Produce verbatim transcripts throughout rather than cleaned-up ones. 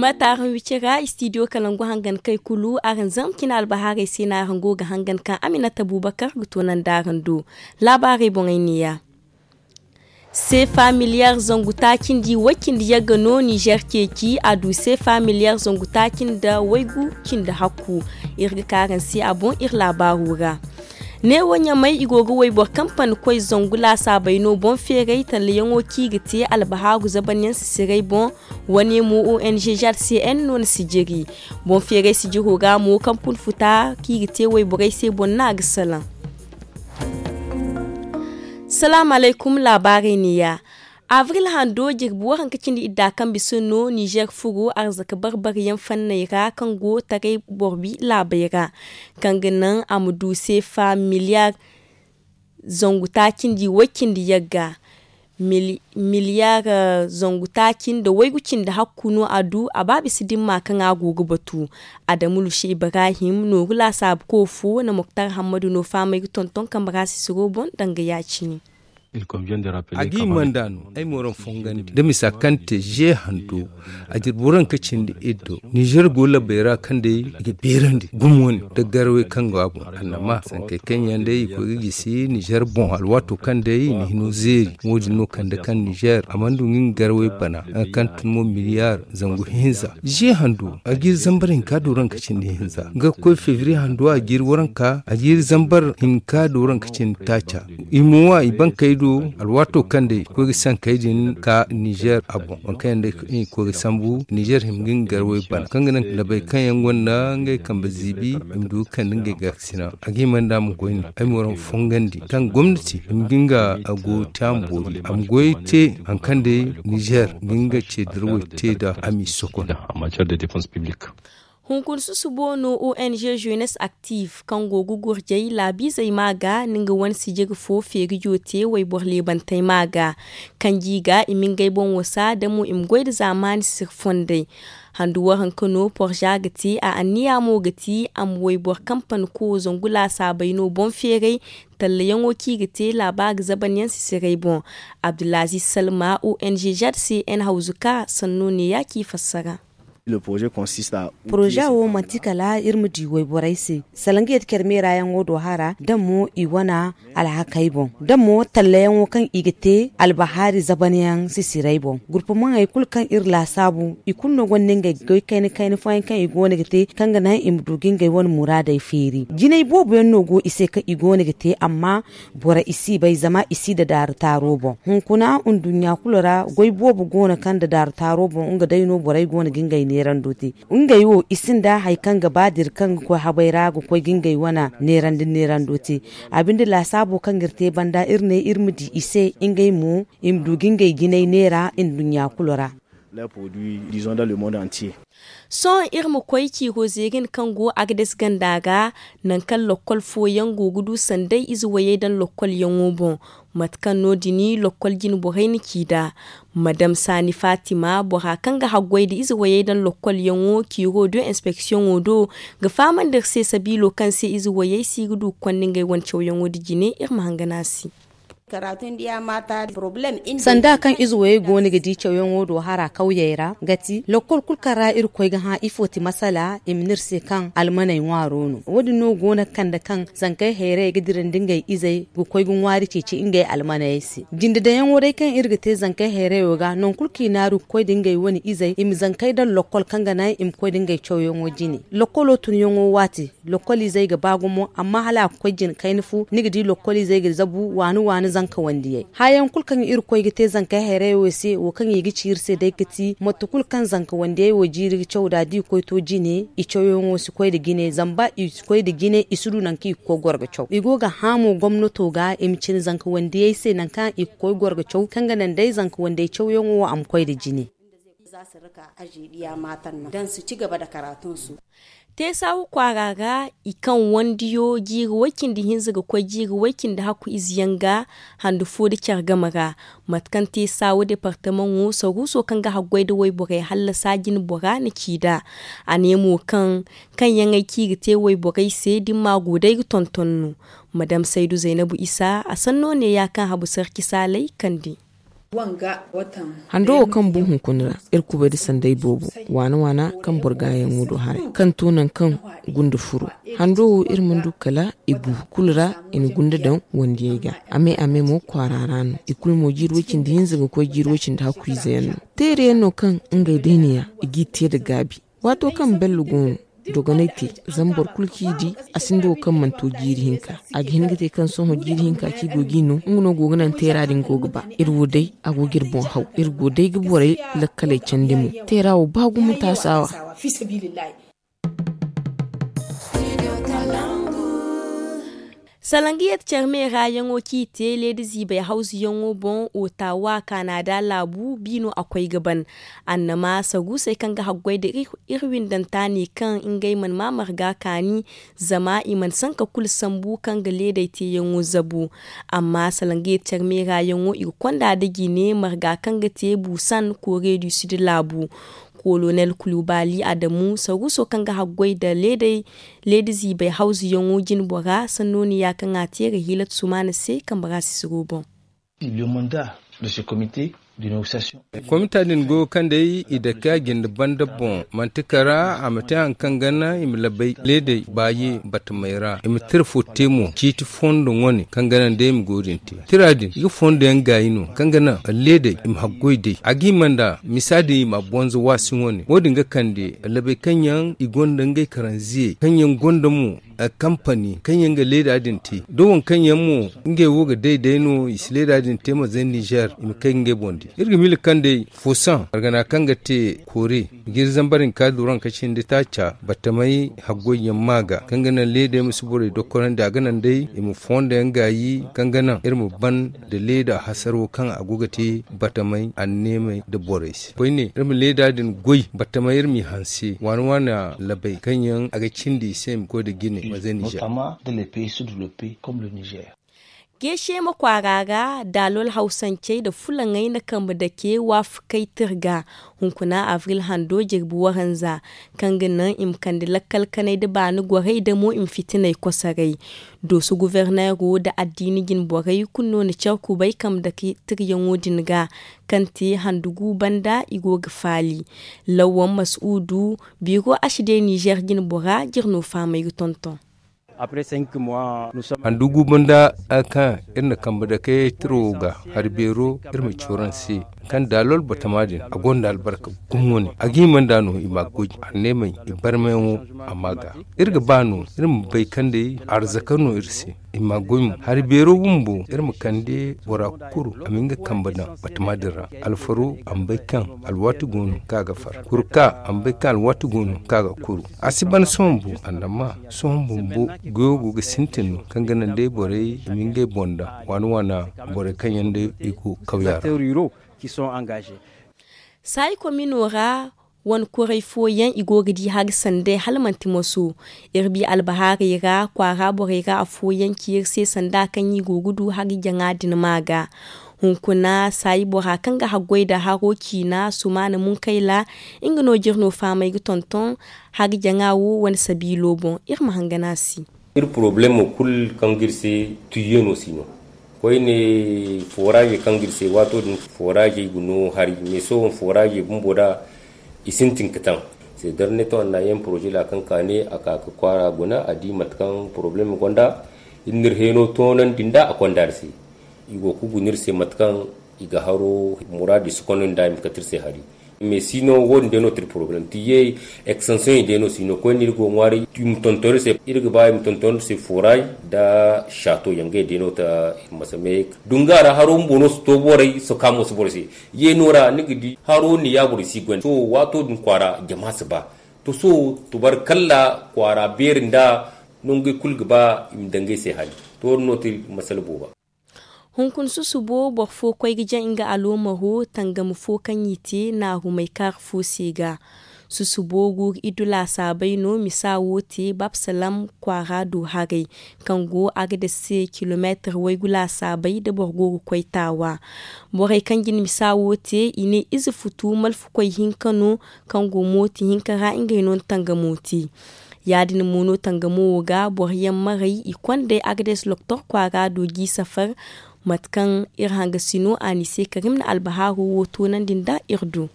Fatta araŋ wicira istidiyo kalangu hangan kay kulu araŋ zama cine albahaarey se no araŋ go ga hangan kaŋ aminata bubakar ga toonandi araŋ do. Laabaarey boŋey neeya. Seefa miliyar zangu taacindi way-cindi yagga no nizer ceeci a du seefa miliyar zangu taacindi waygu cindi hakku. Iri ga ka araŋ se a boŋ iri laabaaro ra. Neewo ɲamay i go ga wayboro kampani koy zangu laasaabey no boŋ feeray tallayaŋo kaŋ i ga te albahaaru zabanyaŋ sisiray boŋ. Wane mo ong jrcn no ni sijiri boŋ feeray sijiro ra mo kampani futa kaŋ i ga te wayborey se boŋ no a ga salaŋ. Salaamu alaykum laabaarey neeya. Avril hando jirbi waranka cindi idda kaŋ bisa no nizer furo arzaka barbariyaŋ fanney ra kaŋ go taray boro wi laabey ra, kaŋ ga naŋ a ma du seefa miliyar zangu taacindi way-cindi yagga. Miliyar zangu taaci nda waygu cindi hakku no a du a ba bisa dimma kaŋ a go ga batu. Adamu lusi ibrahim nooru laasaabu koofo na moktar hammadu no fahamey ga tonton kambe ra sisiro boŋ danga ya-cine. A ga i manda no ay ma waraŋ fongandi da misa kaŋ te ze hando. A jirbi waranka cindi iddo nizer go labbey ra kaŋ day i ga beerandi gumo ne da garawey kaŋ go a boŋ annama sankey kaŋ yaŋ day i koy ga gisi nizer boŋ alwaato kaŋ day i na hino zeeri. Wo- din no kande kaŋ nizer a mana du nga nga garawey bana, nga kaŋ tun mo miliyar zangu hinza ze hando a ga iri zambar hinka do ranka cindi hinza nga ga koy fevriye hando a ga iri waranka a ga iri zambar hinka do ranka cindi taaca. I mo wa i bankey do alwaato kaŋ day i koy ga sankey din ka nizer a boŋ waŋ kaŋ yaŋ day i koy ga sambu nizer hima ga nga garawey bana kaŋ ga naŋ labey kaŋ yaŋ gonda ngey kambe ziibi i ma du ga kande ngey gaakasina. A ga hima nda a ma goy ne ay ma waraŋ fongandi kaŋ gomnati hima ga nga a go te a ma boori a ma goy te haŋ kaŋ day nizer ga nga ce dirwey te nda a m'i sokon. Hunkuna susubo no ong jeunesse active kaŋ go ga gurjay laabiizey ma ga na nga wane sijiri fo feerijo te wayboro leebantey ma ga, kaŋ ji ga i ma ngey boŋ wasa da mo i ma goy nda zaamaani siri fondey. Handu waranka no porza ga te a anniya mo ga ti a ma wayboro kampani kowo zangu laasaabey no boŋ feeray. Tallayaŋo kaŋ i ga te laabaari zabanyaŋ sisiray boŋ. Abdulaziz salma ong zcn hawzuka sanno neeya kaŋ i fassara. Poroza wo manti kala iri ma di wayborey se salaŋ ga yadda care meerayaŋo do hara da mo i wane alhakey boŋ da mo tallayaŋo kaŋ i ga te albahaari zabanyaŋ sisiray boŋ gurpumaŋey kulu kaŋ iri laasaabu i kulu no gonda ngey goy kayna kayna fooyaŋ kaŋ i go no ga te kaŋ ga naŋ i ma du ga ngey wane muraadey feeri jinay boobo yaŋ no go i se kaŋ i go no ga te amma boro i si bay zama i si da daaru taaro boŋ hunkuna nduɲɲa kulu ra goy boobo go no kaŋ da daaru taaro boŋ nga day no borey go no ga ngey neerando te. Ngey wo i sinda hari kaŋ ga ba dira kaŋ ga koy habay ra ga koy ga ngey wane neerandi neerando te. A binde laasaabo kaŋ ga iri te banda iri ne iri ma di i se ngey mo i ma du ga ngey jinay neera nduɲɲa kulu ra. Sohõ iri ma koy ciiro zeerin kaŋ go agades ganda ga, nangu kaŋ lokkol fooyaŋ go ga du sanday ize wayey daŋ lokkolyaŋo boŋ. Mate kaŋ no- din lokkol jine borey na ci nd'a. Madam saani faatima bora kaŋ ga haggoy nda ize wayey daŋ lokkolyaŋo ciiro do inspeksiyoŋo do, ga fahamandi iri se sabiilo kaŋ se ize wayey si ga du ga konda ngey wane cawyaŋo nda jine iri ma hangan a se. Sanda kaŋ ize wayey go no ga di cawyaŋo do hara kawyey ra ga ti lokkol kulu kaŋ ra iri koy ga hã ifo ti masala i ma ne iri se kaŋ almaney ŋwaaro no wo- din no go no ga kande kaŋ zankey hayrayey ga dirandi ngey izey ga koy ga ŋwaari ceeci ngey almaney se. Jinde daŋyaŋo day kaŋ iri ga te zankey hayrayo ga nangu kulu kaŋ i naaru ga koy nda ngey wane izey i ma zankey daŋ lokkol kaŋ ga naŋ i ma koy nda ngey cawyaŋo jine. Lokkolo tunyaŋo waati lokkol izey ga ba gumo amma hala a ga koy jine kayna fo ni ga di lokkol izey ga zabu waani waani zanka wandiyey haayaŋ kulu kaŋ iri koy ga te zankey hayrayo se wo kaŋ i ga ci iri se day ga ti mate kulu kaŋ zanka wandiyey wo jiiri ga caw nd'a da i koy to jine i cawyaŋo si koy nda jine zama ba i si koy nda jine i si du nangu kaŋ i ga koy goro ga caw i go ga hã mo gomnato ga i ma cine zanka wandiyey se nangu kaŋ i ga koy goro ga caw kaŋ ga naŋ day zanka wandiyey cawyaŋo wo a ma koy nda jine. Teesaahu kwaara ra i kaŋ wandiyo jiiri way-cindi-hinza ga koy jiiri way-cindi-hakku ize yaŋ ga handu fo nda care game ra. Mate kaŋ teesaahu departamaŋo saruuso kaŋ ga haggoy nda wayborey hallasa jine bora na ci nd'a. A ne mo kaŋ kaŋ yaŋey kaŋ i ga te wayborey se da ni ma go day ga tonton no. Madam saydu zaynabu isa a sanno neeya kaŋ habu sarci saalay kande. Hando wo kaŋ bu hunkuna ra, iri kubay da sanday boobo, waana waana kaŋ boro gaayaŋo do haray kaŋ to nangu kaŋ gunda furo. Hando wo iri mana du kala i gu kulu ra, i na gunda daŋ wandiyey ga. A me a me mo kwaara ra no. I kulu mo jiiri way-cindi hinza ga koy jiiri way-cindi hakku ize yaŋ no. Teere yaŋ no kaŋ ngey day no ya i g'i te nda gaabi. Waato kaŋ bello go no, dogonay te, zama boro kulu kaŋ i di, a sinda wo kaŋ mana to jiiri hinka. A ga hin ga te kaŋ sohõ jiiri hinka kaŋ i go ga i no, nga no go ga naŋ teera din go ga ba. Iri wo day, a go ga iri boŋ haw. Iri go day ga borey lakkaley candi mo. Teera wo ba gumo taasaawa. Salangiyat care meera yaŋo kaŋ i te leeda ziibay hawzu yaŋo boŋ, otawa kaanada laabu bi no a koy ga ban. Annama saruusey kaŋ ga haggoy nda iri windanta ne kaŋ ngey mana ma marga kaani, zama i mana sanka kulu sambu kaŋ ga leedey teeyaŋo zabu. Amma salangiyat care meera yaŋo i ga konda nda jine marga kaŋ ga te buusan koore du sid laabu. Kolonel kulubali adamu saruuso kaŋ ga haggoy nda leeda ziibay hawzu yaŋo jine bora sanno no ya kaŋ a te ga hiilatu sumaana se kambe ra sisiro boŋ. Komita din go kaŋ day i dake a jinde banda boŋ manti kara a ma te hari kaŋ ga naŋ i ma labay leedey baaye batamey ra i ma tira fo te mo ciiti fondo wane kaŋ ga naŋ day i ma go din te. Tira din i ga fondo yaŋ gaayi no kaŋ ga naŋ leedey i ma haggoy day a ga hima nda misa din i ma a bonza waasi wane wo- din ga kande labay kaŋ yaŋ i gonda ngey karanziyey kaŋ yaŋ gonda mo kampani kaŋ yaŋ ga leeda din te da waŋ kaŋ yaŋ mo ngey wo ga day day no i si leeda din te ma zay nizer i ma kay ga ngey boŋ di. Iri ga miila kaŋ day foosaŋ margana kaŋ ga te koore i ga iri zambar hinka duranka cindi taaca batamey haggoy yaŋ ma ga kaŋ ga naŋ leedey ma si borey dokkorandi a ga naŋ day i ma fondo yaŋ gaayi kaŋ ga naŋ iri ma ban nda leeda hasaro kaŋ a go ga te batamey anneemey nda borey se koyne iri ma leeda din goy batamey iri m'i hanse waana waana labey kaŋ yaŋ a ga cindi i se i ma koy nda jine ma zay nizer. Geesheema kwaara ra daalol hawsancey nda fulaŋey na kambe dake waafakey tirga hunkuna abril hando jirbi waranza kaŋ ga naŋ i ma kande lakkal kanay nda baani gorey nda mo i ma fitiney kosoray. Dooso guverneero nda addiini jine borey kulu no na care kubay kambe dake tiryaŋo din ga kaŋ te handu gu banda i go ga faali. Lawwan masuudu biiro ashide nizer jine bora jirno fahamay ga tonton. Handu gu banda kaŋ iri na kambe dake tiro ga hari beero iri ma cooran se kaŋ daalol batama din a gonda albarka gumo ne a ga hima nda no i ma goy anneemey i barmayaŋo a ma ga iri ga ba no iri ma bay kaŋ day arzaka no iri se i ma goy mo hari beero bumbo iri ma kande bora kulu a ma nga kambe daŋ batama din ra alfaro a ma bay kaŋ alwaati go no kaŋ a ga far kurka a ma bay kaŋ alwaati go no kaŋ a ga kuru a si ban sohõ bumbo annama sohõ bumbo goyo go ga sintin no kaŋ ga naŋ day borey i ma ngey boŋ daŋ waana waana borey kaŋ yaŋ day i go kawya ra. Saayi komino ra wane kuray fooyaŋ i go ga di hari sanday hala manti moso. Iri bi albahaarey ra kwaara borey ra afooyaŋ ci iri se sanda kaŋ i go ga du hari jaŋa din ma ga hunkuna saayi bora kaŋ ga haggoy nda haro ciina sumaana munkayla nga no jirno fahamay ga tonton hari jaŋa wo wane sabiilo boŋ iri ma hangan a se. Iri poroblemo kulu kaŋ ga iri se tuyye no si no koyne foraaze kaŋ ga iri se waato din foraaze i ga no hari mais sohõ foraaze bumbo da i sintin ga taŋ. Seedar ne to annayen poroze ra kaŋ ka ne a ka ga kwaara guna a di mate kaŋ poroblemo gonda iri na iri heeno toonandi nda a konda iri se. I go ga guna iri se mate kaŋ i ga haro muraadu i si konda nda i ma kate iri se hari. Mais siino wo- din day no ti iri poroblem ti ye eksansiyoŋ day no siino koyne iri go ga ŋwaaray i ma tonton iri se iri ga ba i ma tonton iri se foray nda saato yaŋ ngey day no ta. Masa me dunga ra haro bumbo no si to borey soka mo si borey se. Yeeno ra ni ga di haro ni ya borey si goy sohõ waato din kwaara jama si ba. To sohõ tubarkalla kwaara beeri nda nongey kulu ga ba i ma daŋ ngey se hari. To wo- din no ti masala booba. Hunkuna susubo boro fo koy ga jaŋ nga aloomaro tangam fo kaŋ i te naarumay kaara fo se ga. Susubo guuru iddu laasaabey no misa wo te babsalam kwaara do haray kaŋ go agades se kilomeetar waygu laasaabey da boro go ga koy taawa. Borey kaŋ jin misa wo te i ne ize futu malfukoy hinka no kaŋ go mooti hinka ra ngey no na tangamo te. Ya- din mo no tangamo wo ga boro yaŋ maray i kondey agades loktor kwaara do g'i safar. Mate kaŋ iri hanga sino a ni se karim na albaharo wo toonandi nda iri du.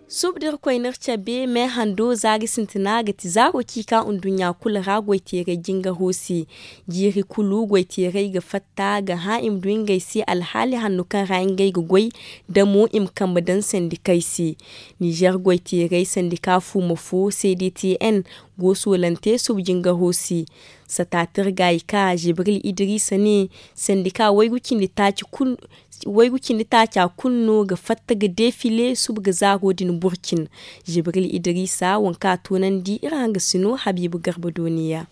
Suba da iri koy n'iri cabe me hando za ga sintina ga ti zaaro kaŋ i ka nduɲɲa kulu ra goyteeray jingaro se. Jiiri kulu goyteeray ga fatta ga hã i ma du ngey se alhaali hanno kaŋ ra ngey ga goy, da mo i ma kambe daŋ sandikey se. Nizer goyteeray sandika fuuma fo, cdtn, go soolante suba jingaro se. Satatir ga i ka jibril idrisa ne, sandika waygu cindi taaci kulu no ga fatta ga defile suba ga zaaro din burcin. Jibril idrisa waŋ kaŋ a toonandi iri hanga sino habiibu garba dooniya.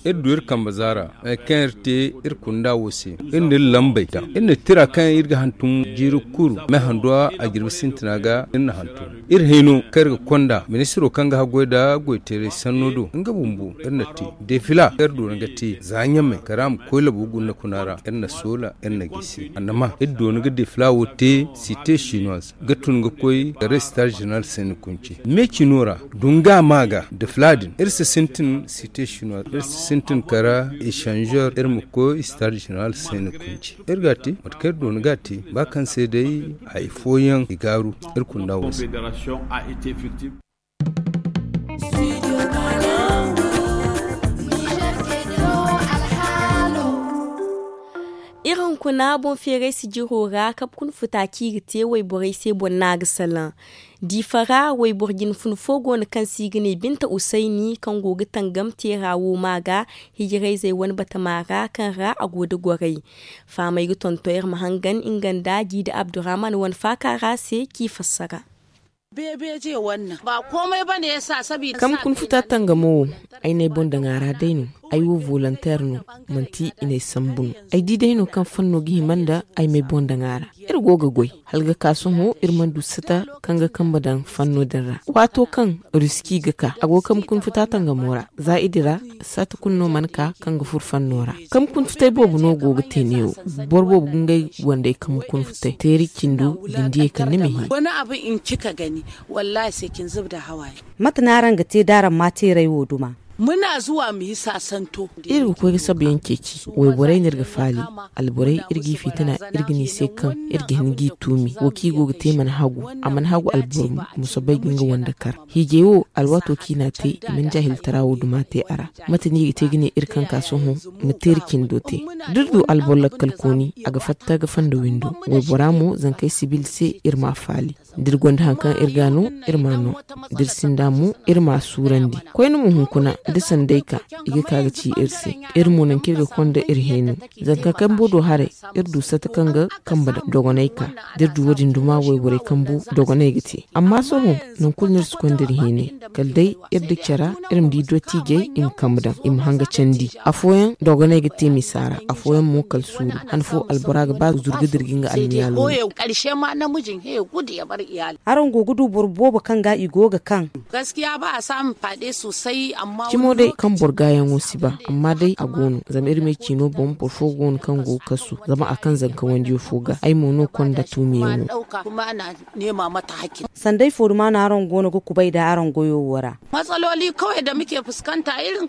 Iri du iri kambe zaara, hari kaŋ iri te iri kunda wo se. Iri na iri lambey ta, iri na tira kaŋ iri ga hantum jiiri kulu me handuwa a jirbi sintina ga iri na hantum. Iri hayno kaŋ iri ga konda ministiro kaŋ ga haggoy nda goyteeray sanno do nga bumbo iri na te. Defila kaŋ iri doona ga te za ɲamey kala a ma koy labo guna kuna ra iri na soola iri na gisi annama iri doona ga defila wo te site chinoise ga tun ga koy ga restar general sene kunce. Me cino ra dunga ma ga defila din iri si sintin site chinoise iri si sintin kala echanzeur iri ma koy star general sene kunce. Iri ga a te mate kaŋ iri doona ga a te ba kaŋ se day hari fooyaŋ i gaaru. Iri kunda wo se. Iri hunkuna boŋ feeray sijiro ra kabe kuna futa kaŋ i ga te wayborey se boŋ no a ga salaŋ. Diifa ra wayboro jine fun fo go no kaŋ se i ga ne binta usayni kaŋ go ga tangam teera wo ma ga hijirayzey wane batama ra kaŋ ra a go nda gorey. Fahamey ga tonton iri ma hangan nga nda jiida abdurrahman wane faaka ra se k'i fassara. Kaŋ ma kuna futa tangamo wo, ay n'ay boŋ daŋ a ra day no. Ay wo volonteer no, manti i n'ay sambu no. Ay di day no kaŋ fanno ga hima nda ay m'ay boŋ daŋ a ra. Iri go ga goy hala ga ka sohõ iri mana du sata kaŋ ga kambe daŋ fanno din ra. Waato kaŋ ruski ga ka a go ga kambe kuna futa tangamo ra za i dira sata kulu no mana ka kaŋ ga furo fanno ra. Kambe kuna futay boobo no go ga te neewo. Boro boobo ga ngey wandey kambe kuna futay teeri cindo jindiyey kaŋ ni ma hin. Mate no araŋ ga te da araŋ ma teeray wo duma? Iri ga koy ga sabayaŋ ceeci wayborey no iri ga faali. Alborey iri g'i fitina iri ga ne i se kaŋ iri ga hin g'i tuumi wo kaŋ i go ga te mana hagu. A mana hagu alboro mo ma soobay ga nga wande kar hiijay wo alwaato kaŋ i n'a te i mana jaahiltara wo duma te a ra. Mate no i ga te ga ne iri kaŋ ka sohõ ma teeri cindo te. Da iri du alboro lakkalkooni a ga fatta ga fanda windo. Waybora mo zankey sibil se iri m'a faali. Da iri gonda hari kaŋ iri ga no iri m'a no. Da iri sinda mo iri m'a suurandi. Koyne mo hunkuna da sanday ka i ga ka ga ci iri se. Iri mo nangu kaŋ iri ga konda iri hẽeno. Zanka kambo do haray iri du sata kaŋ ga kambe daŋ dogonay ka. Da iri du wo- din duma wayborey kambu dogonay ga te. Amma sohõ nangu kulu no iri si konda iri hẽenay. Kala day iri da care iri ma di dottiijey i ma kambe daŋ i ma hanga candi. Afooyaŋ dogonay ga te misa ra afooyaŋ mo kala suuru. Han fo albora ga ba zuru ga dira ga nga almiyaalo. Araŋ go ga du boro boobo kaŋ ga i go ga kaŋ? Cimo day kaŋ boro gaayaŋo si ba amma day a go no zama iri ma ay ciino boŋ boro fo go no kaŋ go ga kasu zama a kaŋ zanka wandiyo fo ga ay mo no konda tuumiyaŋo. Sanday fo duma no araŋ go no ga kubay nda araŋ goyo wo ra?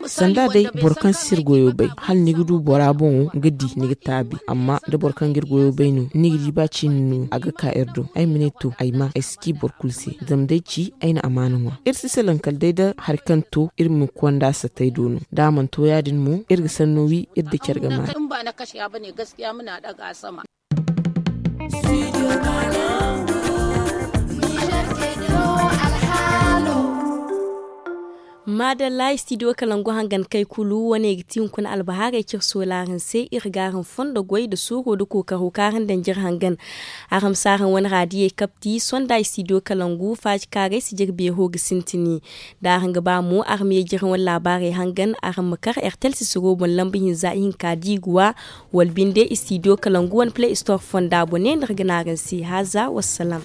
Sanda day boro kaŋ si iri goyo bay hala ni ga du bora boŋo ga di ni ga taabi amma da boro kaŋ ga iri goyo bay no ni ga di ba cine no a ga ka iri do ay ma ne to ay ma ay si ci boro kulu se. Zama day ci ay na amaana ŋwa iri si salaŋ kala day nda hari kaŋ to iri ma konda satay do no da a mana to ya- din mo iri ga sanno wi iri nda care ga maana. Maadalla istidiyo kalangu hangan kay kulu wane ga ti hunkuna albahaarey cire soolaarin se iri ga araŋ fondo goy nda suuro nda kookaro kaŋ araŋ daŋ jire hangan. Araŋ ma si araŋ wane raadiyey kapti sonda istidiyo kalangu faaji kaarey si jire beero ga sintini. Da araŋ ga ba mo araŋ ma ye jire wane laabaarey hangan araŋ ma kar ertel sisiro boŋ lamba hinza ihinka diiguwa wala binde istidiyo kalangu wane play store fonda bone no iri ga ne araŋ se haaza wassalaam.